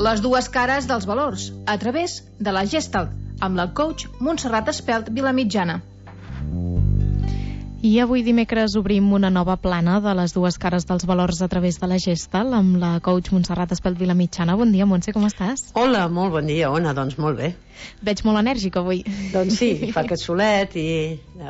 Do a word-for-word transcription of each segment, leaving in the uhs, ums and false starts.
Les dues cares dels valors, a través de la Gestalt, amb la coach Montserrat Espelt Vilamitjana. I avui dimecres obrim una nova plana de les dues cares dels valors a través de la Gestalt amb la coach Montserrat Espelt Vilamitjana. Bon dia, Montse, com estàs? Hola, molt bon dia, Ona, doncs molt bé. Veig molt enèrgica avui. Doncs sí, fa aquest solet i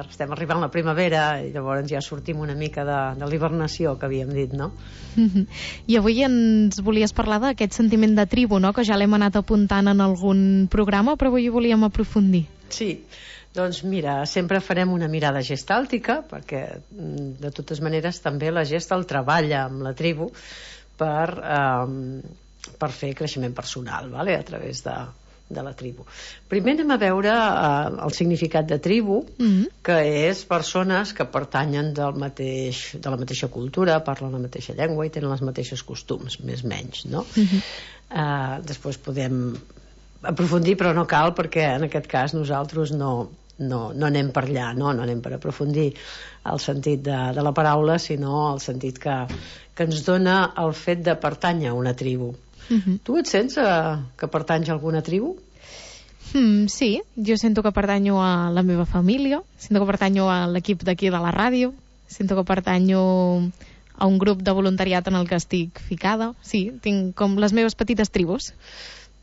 estem arribant a la primavera i llavors ja sortim una mica de, de l'hibernació que havíem dit, no? I avui ens volies parlar d'aquest sentiment de tribu, no?, que ja l'hem anat apuntant en algun programa, però avui volíem aprofundir. Sí, doncs mira, sempre farem una mirada gestàltica, perquè de totes maneres també la Gestalt treballa amb la tribu per, eh, per fer creixement personal, vale? A través de, de la tribu. Primer anem a veure eh, el significat de tribu, mm-hmm. que és persones que pertanyen del mateix, de la mateixa cultura, parlen la mateixa llengua i tenen els mateixos costums, més o menys, no? Mm-hmm. Eh, després podem aprofundir, però no cal, perquè en aquest cas nosaltres no... No, no anem per allà, no, no anem per aprofundir el sentit de, de la paraula, sinó el sentit que, que ens dona el fet de pertànyer a una tribu. Uh-huh. Tu et sents uh, que pertanys a alguna tribu? Mm, sí, jo sento que pertanyo a la meva família, sento que pertanyo a l'equip d'aquí de la ràdio, sento que pertanyo a un grup de voluntariat en el que estic ficada. Sí, tinc com les meves petites tribus.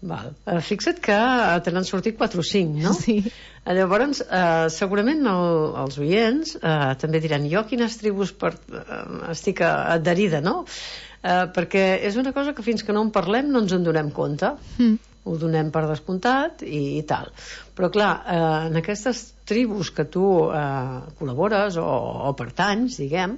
Val. Uh, fixa't que te n'han sortit quatre o cinc, no? Sí. Uh, llavors, uh, segurament el, els oients uh, també diran, jo a quines tribus per, uh, estic adherida, no? Uh, perquè és una cosa que fins que no en parlem no ens en donem compte. Mm. Ho donem per descomptat i, i tal. Però clar, uh, en aquestes tribus que tu uh, col·labores o, o pertanys, diguem,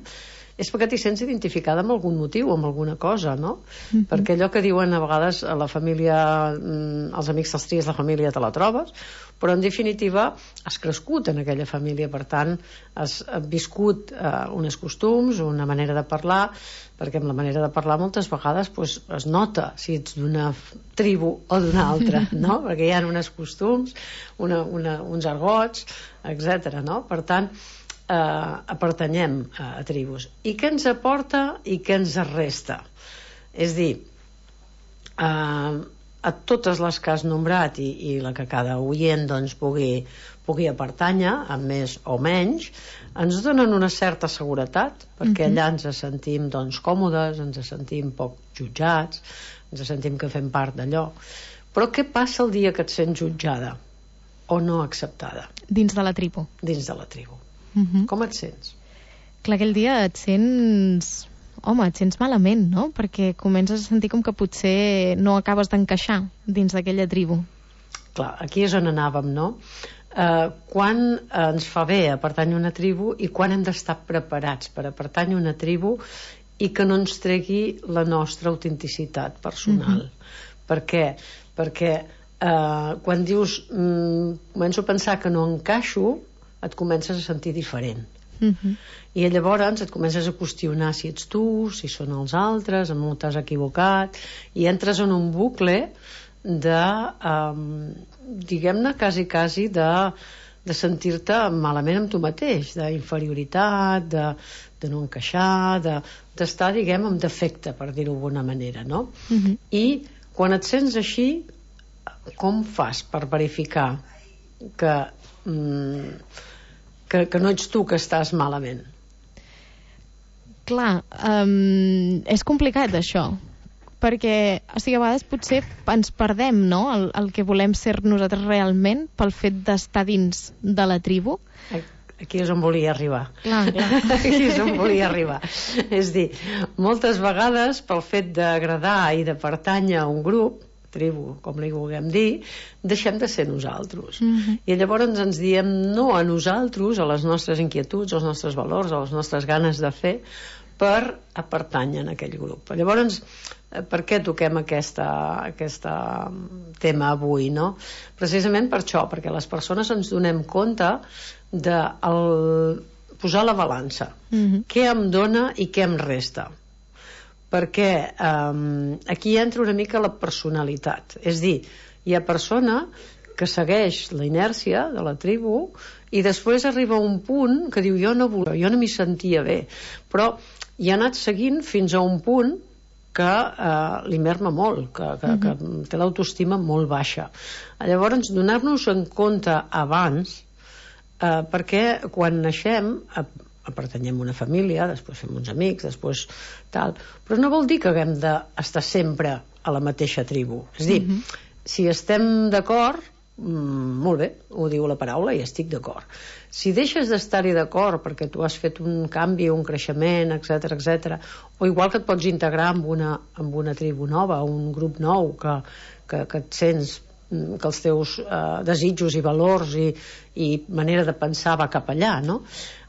és perquè t'hi sents identificada amb algun motiu, amb alguna cosa, no? Mm-hmm. Perquè allò que diuen a vegades a la família, els amics te'ls tries, la família te la trobes, però en definitiva has crescut en aquella família, per tant has viscut eh, uns costums, una manera de parlar, perquè amb la manera de parlar moltes vegades pues, es nota si ets d'una tribu o d'una altra, no? Perquè hi ha uns costums, una, una, uns argots, etcètera, no? Per tant, Uh, pertanyem a, a tribus. I què ens aporta i què ens resta? És dir, uh, a totes les que has nombrat i, i la que cada oient doncs, pugui, pugui pertànyer, amb més o menys, ens donen una certa seguretat, perquè allà ens sentim doncs, còmodes, ens sentim poc jutjats, ens sentim que fem part d'allò. Però què passa el dia que et sents jutjada o no acceptada? Dins de la tribu. Dins de la tribu. Uh-huh. Com et sents? Clar, aquell dia et sents... Home, et sents malament, no? Perquè comences a sentir com que potser no acabes d'encaixar dins d'aquella tribu. Clar, aquí és on anàvem, no? Uh, quan ens fa bé a pertànyer a una tribu i quan hem d'estar preparats per a pertànyer a una tribu i que no ens tregui la nostra autenticitat personal. Uh-huh. Per què? Perquè uh, quan dius mm, començo a pensar que no encaixo, et comences a sentir diferent. Uh-huh. I llavors et comences a qüestionar si ets tu, si són els altres, amb on t'has equivocat, i entres en un bucle de, um, diguem-ne, quasi, quasi de, de sentir-te malament amb tu mateix, d'inferioritat, de, de no encaixar, de, d'estar, diguem, amb defecte, per dir-ho d'alguna manera, no? Uh-huh. I quan et sents així, com fas per verificar que... Mm, Que, que no ets tu que estàs malament? Clar, um, és complicat això, perquè o sigui, a vegades potser ens perdem, no?, el, el que volem ser nosaltres realment pel fet d'estar dins de la tribu. Aquí és on volia arribar. Clar, clar. Aquí és on volia arribar. És dir, moltes vegades pel fet d'agradar i de pertànyer a un grup, tribu, com li vulguem dir, deixem de ser nosaltres. Uh-huh. I llavors ens diem no a nosaltres, a les nostres inquietuds, als nostres valors, a les nostres ganes de fer, per a pertànyer en aquell grup. Llavors, per què toquem aquesta, aquesta tema avui, no? Precisament per això, perquè les persones ens donem compte de el, posar la balança. Uh-huh. Què em dona i què em resta? Perquè um, aquí entra una mica la personalitat. És dir, hi ha persona que segueix la inèrcia de la tribu i després arriba a un punt que diu jo no volia, jo no m'hi sentia bé, però hi ha anat seguint fins a un punt que eh, li merma molt, que, que, uh-huh. que té l'autoestima molt baixa. Llavors, donar-nos en compte abans, eh, perquè quan naixem eh, pertanyem a una família, després fem uns amics, després tal, però no vol dir que haguem d'estar sempre a la mateixa tribu. És a dir, uh-huh. si estem d'acord, molt bé, ho diu la paraula i estic d'acord. Si deixes d'estar-hi d'acord perquè tu has fet un canvi, un creixement, etc etc, o igual que et pots integrar amb una, amb una tribu nova, un grup nou, que, que, que et sents que els teus eh, desitjos i valors i, i manera de pensar va cap allà, no?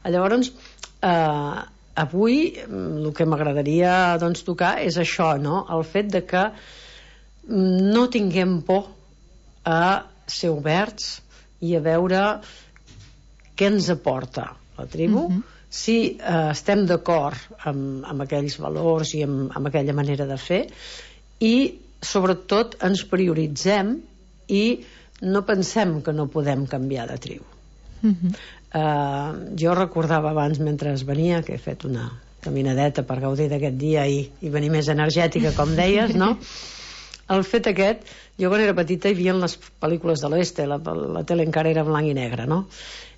Llavors, eh, avui el que m'agradaria doncs, tocar és això, no? El fet de que no tinguem por a ser oberts i a veure què ens aporta la tribu, uh-huh. si eh, estem d'acord amb, amb aquells valors i amb, amb aquella manera de fer, i sobretot ens prioritzem i no pensem que no podem canviar de tribu. Uh-huh. eh, jo recordava abans, mentre venia, que he fet una caminadeta per gaudir d'aquest dia i, i venir més energètica, com deies, no? El fet aquest, jo quan era petita hi havia les pel·lícules de l'oeste, la, la tele encara era blanc i negre, no?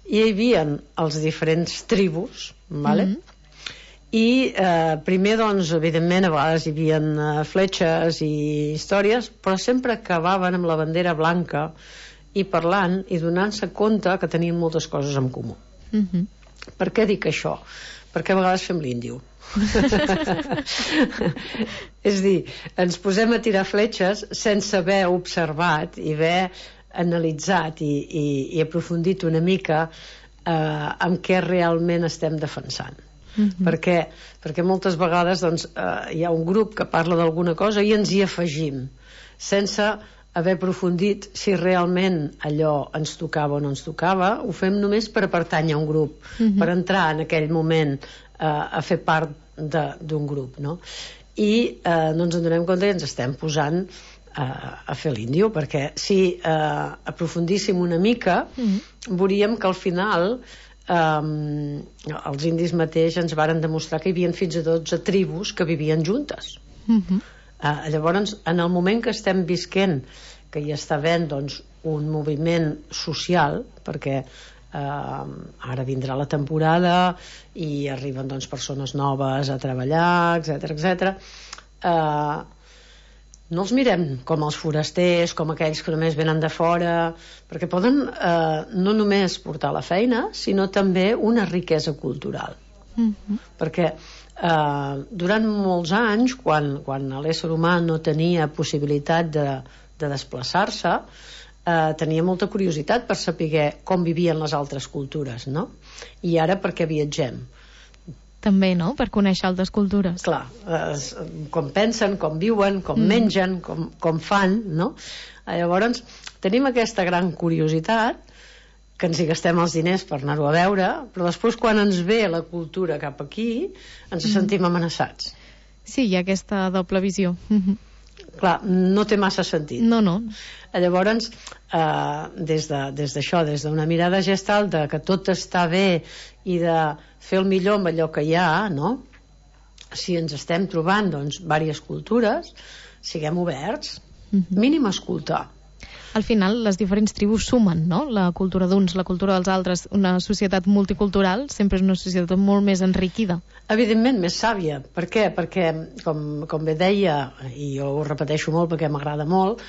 I hi havia els diferents tribus, vale? Mm-hmm. I eh, primer, doncs, evidentment, a vegades hi havia eh, fletxes i històries, però sempre acabaven amb la bandera blanca i parlant i donant-se compte que tenien moltes coses en comú. Mm-hmm. Per què dic això? Perquè a vegades fem l'índio. És dir, ens posem a tirar fletxes sense haver observat i haver analitzat i, i, i aprofundit una mica eh, en què realment estem defensant. Mm-hmm. perquè, perquè moltes vegades doncs, eh, hi ha un grup que parla d'alguna cosa i ens hi afegim sense haver aprofundit si realment allò ens tocava o no ens tocava. Ho fem només per pertànyer a un grup, mm-hmm. per entrar en aquell moment a fer part d'un grup, no? I eh, no ens en donem compte i ens estem posant eh, a fer l'índio, perquè si eh, aprofundíssim una mica mm-hmm. veuríem que al final eh, els indis mateix ens varen demostrar que hi havia fins a dotze tribus que vivien juntes. Mm-hmm. eh, llavors, en el moment que estem visquent, que hi està havent doncs, un moviment social, perquè Uh, ara vindrà la temporada i arriben doncs, persones noves a treballar, etc etc. Uh, no els mirem com els forasters, com aquells que només venen de fora, perquè poden uh, no només portar la feina, sinó també una riquesa cultural. Mm-hmm. Perquè uh, durant molts anys, quan, quan l'ésser humà no tenia possibilitat de, de desplaçar-se, Uh, tenia molta curiositat per saber com vivien les altres cultures, no? I ara per què viatgem? També, no?, per conèixer altres cultures. Clar, uh, com pensen, com viuen, com mm. mengen, com, com fan, no? Uh, llavors, tenim aquesta gran curiositat, que ens hi gastem els diners per anar-ho a veure, però després quan ens ve la cultura cap aquí, ens mm. sentim amenaçats. Sí, hi ha aquesta doble visió. Mm-hmm. Clar, no té massa sentit. No, no. Llavors, eh, des de, des d'això, des d'una mirada gestal de que tot està bé i de fer el millor amb allò que hi ha, no? Si ens estem trobant, doncs, diverses cultures, siguem oberts, mm-hmm. mínim escoltar. Al final, les diferents tribus sumen, no? La cultura d'uns, la cultura dels altres. Una societat multicultural sempre és una societat molt més enriquida. Evidentment, més sàvia. Per què? Perquè, com, com bé deia, i jo ho repeteixo molt perquè m'agrada molt,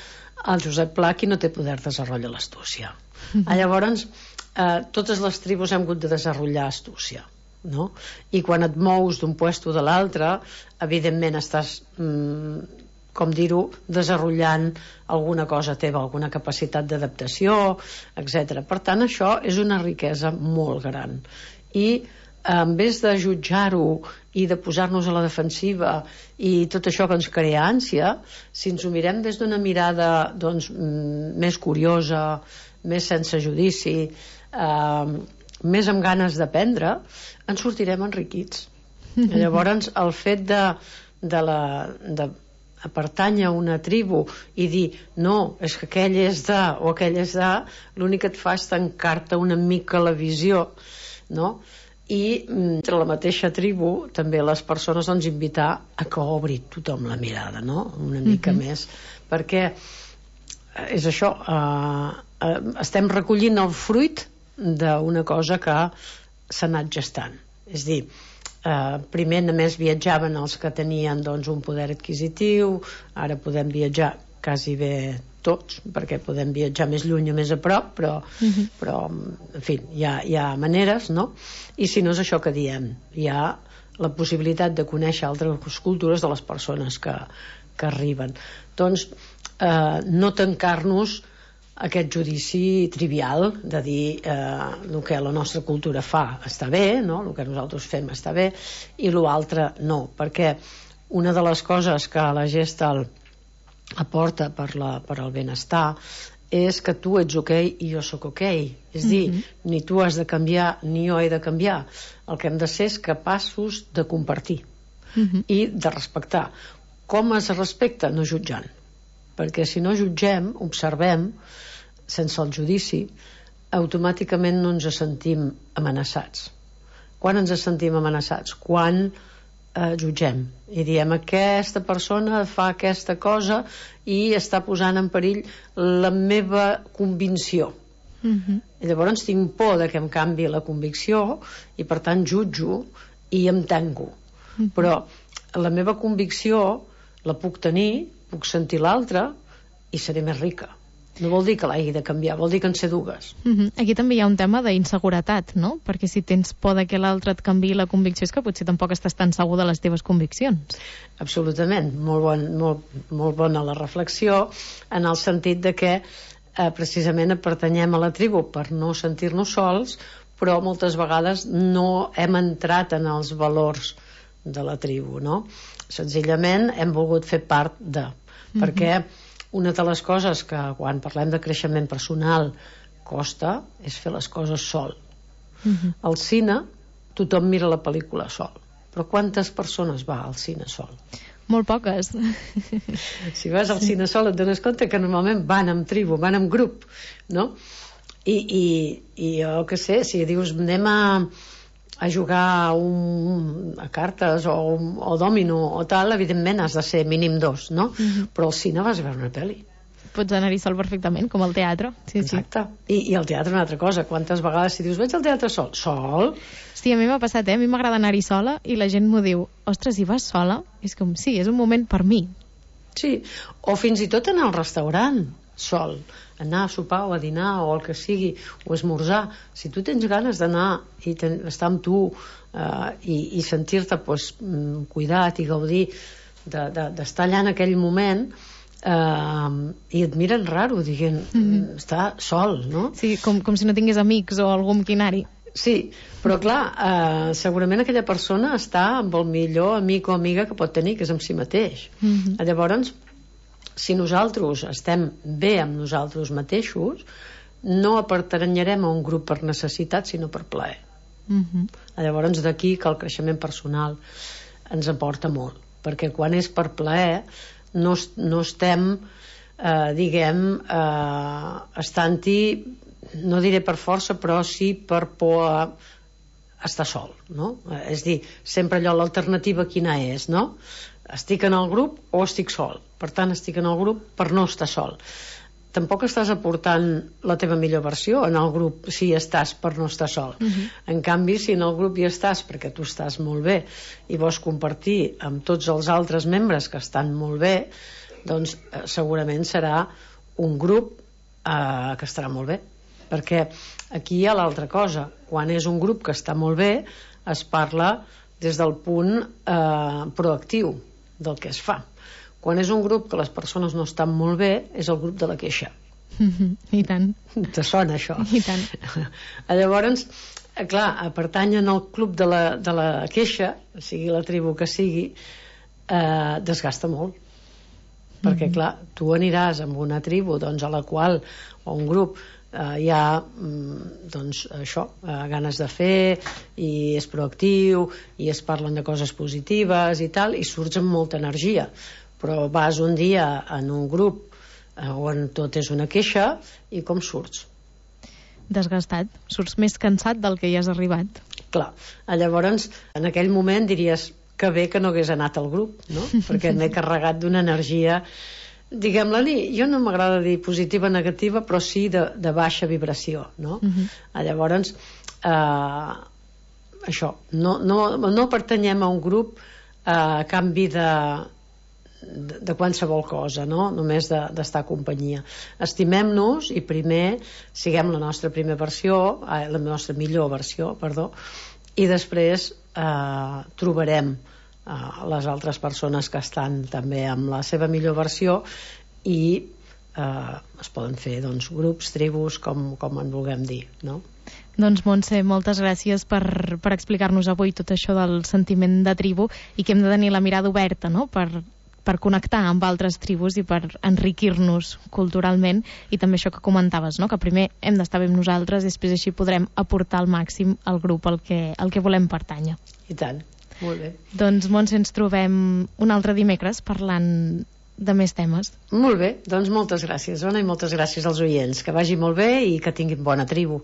el Josep Pla, qui no té poder desenvolupa l'astúcia. Mm-hmm. Llavors, eh, totes les tribus hem hagut de desenvolupar astúcia, no? I quan et mous d'un puesto de l'altre, evidentment estàs... Mm, com dir-ho, desenvolupant alguna cosa teva, alguna capacitat d'adaptació, etcètera. Per tant, això és una riquesa molt gran. I en vez de jutjar-ho i de posar-nos a la defensiva i tot això que ens crea ànsia, si ens ho mirem des d'una mirada doncs, més curiosa, més sense judici, eh, més amb ganes d'aprendre, ens sortirem enriquits. Llavors, el fet de, de la... De, a pertànyer a una tribu i dir, no, és que aquell és de o aquell és de, l'únic que et fa és tancar-te una mica la visió, no? i entre la mateixa tribu també les persones doncs invitar a que obri tothom la mirada, no? Una mica mm-hmm. més, perquè és això, eh, eh, estem recollint el fruit d'una cosa que s'ha anat gestant, és dir, eh, primer només viatjaven els que tenien doncs un poder adquisitiu, ara podem viatjar quasi bé tots, perquè podem viatjar més lluny o més a prop, però, uh-huh. però en fi, hi ha, hi ha maneres, no? I si no és això que diem, hi ha la possibilitat de conèixer altres cultures de les persones que, que arriben. Doncs eh, no tancar-nos aquest judici trivial de dir eh, el que la nostra cultura fa està bé, no? El que nosaltres fem està bé, i l'altre no, perquè una de les coses que la Gestalt aporta per, la, per al benestar és que tu ets ok i jo sóc ok, és dir, mm-hmm. ni tu has de canviar ni jo he de canviar, el que hem de ser és capaços de compartir mm-hmm. i de respectar. Com es respecta? No jutjant, perquè si no jutgem, observem sense el judici, automàticament no ens sentim amenaçats. Quan ens sentim amenaçats? Quan eh, jutgem i diem aquesta persona fa aquesta cosa i està posant en perill la meva convicció. Mm-hmm. I llavors tinc por de que em canvi la convicció i per tant jutjo i em tanco. Mm-hmm. Però la meva convicció la puc tenir, puc sentir l'altra i seré més rica. No vol dir que l'hagi de canviar, vol dir que en sé dues. Mm-hmm. Aquí també hi ha un tema d'inseguretat, no? Perquè si tens por de que l'altre et canviï la convicció és que potser tampoc estàs tan segur de les teves conviccions. Absolutament, molt, bon, molt, molt bona la reflexió, en el sentit de que eh, precisament pertanyem a la tribu per no sentir-nos sols, però moltes vegades no hem entrat en els valors de la tribu, no? Senzillament hem volgut fer part de... Mm-hmm. Perquè una de les coses que quan parlem de creixement personal costa és fer les coses sol. Mm-hmm. Al cine tothom mira la pel·lícula sol, però quantes persones va al cine sol? Molt poques. Si vas al cine sol et dones compte que normalment van en tribu, van en grup, no? I, i, i jo què sé, si dius anem a a jugar un, a cartes o, o dòmino o tal, evidentment has de ser mínim dos, no? Mm-hmm. Però al cine vas a veure una pel·li. Pots anar-hi sol perfectament, com al teatre. Sí, exacte. Sí. I, I al teatre una altra cosa. Quantes vegades si dius vaig al teatre sol? Sol? Sí, a mi m'ha passat, eh? A mi m'agrada anar-hi sola i la gent m'ho diu, ostres, hi vas sola? És com, sí, és un moment per mi. Sí, o fins i tot anar al restaurant sol, anar a sopar o a dinar o el que sigui, o esmorzar. Si tu tens ganes d'anar i ten, estar amb tu eh, i, i sentir-te pues, cuidat i gaudir d'estar de, de, allà en aquell moment, eh, i et miren raro dient, mm-hmm. està sol, no? Sí, com, com si no tingués amics o algú amb qui anar-hi. Sí, però clar, eh, segurament aquella persona està amb el millor amic o amiga que pot tenir, que és amb si mateix. Mm-hmm. Llavors, si nosaltres estem bé amb nosaltres mateixos, no pertanyerem a un grup per necessitat, sinó per plaer. Mm-hmm. Llavors d'aquí que el creixement personal ens aporta molt, perquè quan és per plaer no, no estem eh, diguem eh, estant-hi, no diré per força, però sí per por a estar sol, no? És dir, sempre allò, l'alternativa quina és, no? Estic en el grup o estic sol, per tant estic en el grup per no estar sol. Tampoc estàs aportant la teva millor versió en el grup si estàs per no estar sol. Uh-huh. En canvi, si en el grup hi estàs perquè tu estàs molt bé i vols compartir amb tots els altres membres que estan molt bé, doncs eh, segurament serà un grup eh, que estarà molt bé, perquè aquí hi ha l'altra cosa. Quan és un grup que està molt bé es parla des del punt eh, proactiu del que es fa. Quan és un grup que les persones no estan molt bé és el grup de la queixa. Mm-hmm. I tant. Te sona això? I tant. Llavors, clar, pertanyen al club de la, de la queixa, sigui la tribu que sigui, eh, desgasta molt. Mm-hmm. Perquè clar, tu aniràs amb una tribu doncs, a la qual, o un grup Uh, hi ha mm, doncs això, uh, ganes de fer i és proactiu i es parlen de coses positives i tal, i surts amb molta energia, però vas un dia en un grup uh, on tot és una queixa i com surts? Desgastat, surts més cansat del que hi has arribat. Clar, llavors en aquell moment diries que bé que no hagués anat al grup, no? Perquè m'he carregat d'una energia, diguem-la, jo no m'agrada dir positiva o negativa, però sí de, de baixa vibració, no? Uh-huh. Llavors eh, això, no, no, no pertanyem a un grup eh, a canvi de De, de qualsevol cosa, no? Només d'estar de, a companyia. Estimem-nos i primer siguem la nostra primera versió, eh, la nostra millor versió, perdó, i després eh, trobarem eh, les altres persones que estan també amb la seva millor versió i eh, es poden fer doncs, grups, tribus, com, com en vulguem dir, no? Doncs Montse, moltes gràcies per, per explicar-nos avui tot això del sentiment de tribu i que hem de tenir la mirada oberta, no? Per per connectar amb altres tribus i per enriquir-nos culturalment, i també això que comentaves, no? Que primer hem d'estar bé amb nosaltres i després així podrem aportar al màxim al grup al que, al que volem pertànyer. I tant, molt bé. Doncs Montse, ens trobem un altre dimecres parlant de més temes. Molt bé, doncs moltes gràcies, Ona, i moltes gràcies als oients. Que vagi molt bé i que tinguin bona tribu.